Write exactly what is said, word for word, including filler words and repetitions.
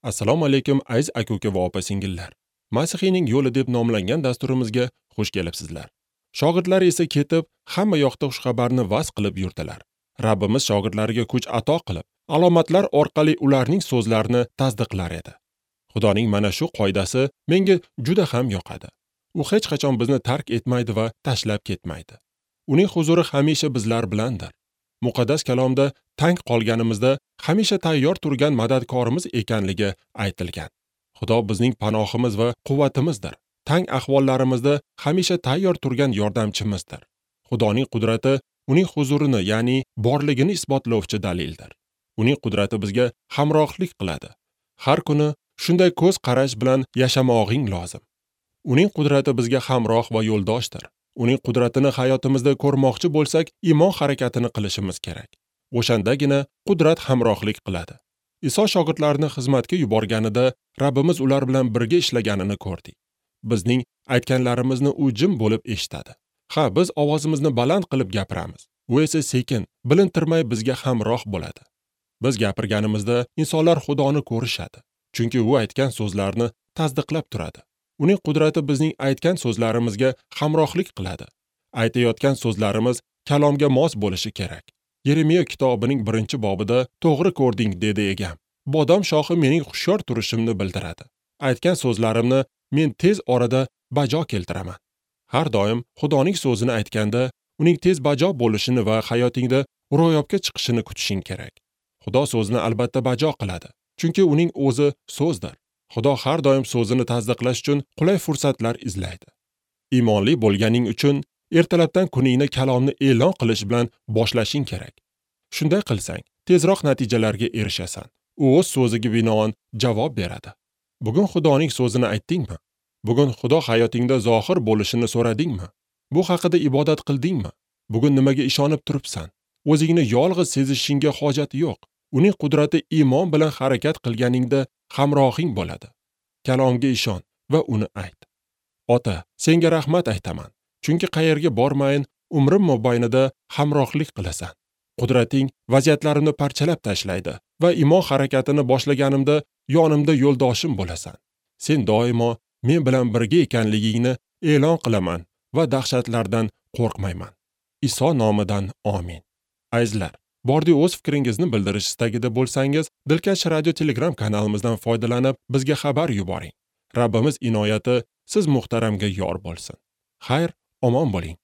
Assalomu alaykum aziz aka-uka va opa-singillar. Masihiyning yo'li deb nomlangan dasturimizga xush kelibsizlar. Shogirdlar esa ketib, hamma yoqda xushxabarni vaz qilib yurdilar. Rabbimiz shogirdlariga kuch ato qilib, alomatlar orqali ularning so'zlarini tasdiqlar edi. Xudoning mana shu qoidasi menga juda ham yoqadi. U hech qachon bizni tark etmaydi va tashlab ketmaydi. Uning huzuri hamisha bizlar bilandir. Muqaddas kalomda tang qolganimizda hamisha tayyor turgan madadkorimiz ekanligi aytilgan. Xudo bizning panohimiz va quvvatimizdir. Tang ahvollarimizda hamisha tayyor turgan yordamchimizdir. Xudoning qudrati uning huzurini, ya'ni borligini isbotlovchi dalildir. Uning qudrati bizga hamrohlik qiladi. Har kuni shunday ko'z qarash bilan yashamog'ing lozim. Uning qudrati bizga hamroh va yo'ldoshdir. Uning qudratini hayotimizda ko'rmoqchi bo'lsak, iymon harakatini qilishimiz kerak. O'shandagina qudrat hamrohlik qiladi. Iso shogirdlarini xizmatga yuborganida Rabbimiz ular bilan birga ishlaganini ko'rdik. Bizning aytganlarimizni u jim bo'lib eshitadi. Ha, biz ovozimizni baland qilib gapiramiz. U esa sekin, bilintirmay bizga hamroh bo'ladi. Biz gapirganimizda insonlar Xudoni ko'rishadi. Chunki u aytgan so'zlarni tasdiqlab turadi. Uning qudrati bizning aytgan so'zlarimizga hamrohlik qiladi. Aytayotgan so'zlarimiz kalomga mos bo'lishi kerak. Yeremiya kitobining birinchi bobida to'g'ri ko'rding dedi egam. Bodom shoxi mening hushyor turishimni bildiradi. Aytgan so'zlarimni men tez orada bajo keltiraman. Har doim Xudoning so'zini aytganda uning tez bajo bo'lishini va hayotingda ro'yobga chiqishini kutishing kerak. Xudo so'zini albatta bajo qiladi, chunki uning o'zi so'zdir. Xudo har doim so'zini tasdiqlash uchun qulay fursatlar izlaydi. Iymonli bo'lganing uchun ertalabdan kuningni kalomni e'lon qilish bilan boshlashing kerak. Shunday qilsang, tezroq natijalarga erishasan. U o'z so'ziga binoan javob beradi. Bugun Xudoning so'zini aytdingmi? Bugun Xudo hayotingda zohir bo'lishini so'radingmi? Bu haqida ibodat qildingmi? Bugun nimaga ishonib turibsan? O'zingni yolg'iz sezishingga hojat yo'q. Uning qudrati iymon bilan harakat qilganingda hamrohing bo'ladi. Kalomga ishon va uni ayt. Ota, senga rahmat aytaman. Chunki qayerga bormayin, umrim mobaynida hamrohlik qilasan. Qudrating vaziyatlarimni parchalab tashlaydi va iymon harakatini boshlaganimda yonimda yo'ldoshim bo'lasan. Sen doimo men bilan birga ekanligingni e'lon qilaman va dahshatlardan qo'rqmayman. Iso nomidan amin. Azizlar, bordi o'z fikringizni bildirish istagida bo'lsangiz, Dilkash radio Telegram kanalimizdan foydalanib bizga xabar yuboring. Rabbimiz inoyati siz muhtaramga yor bo'lsin. Xayr, omon bo'ling.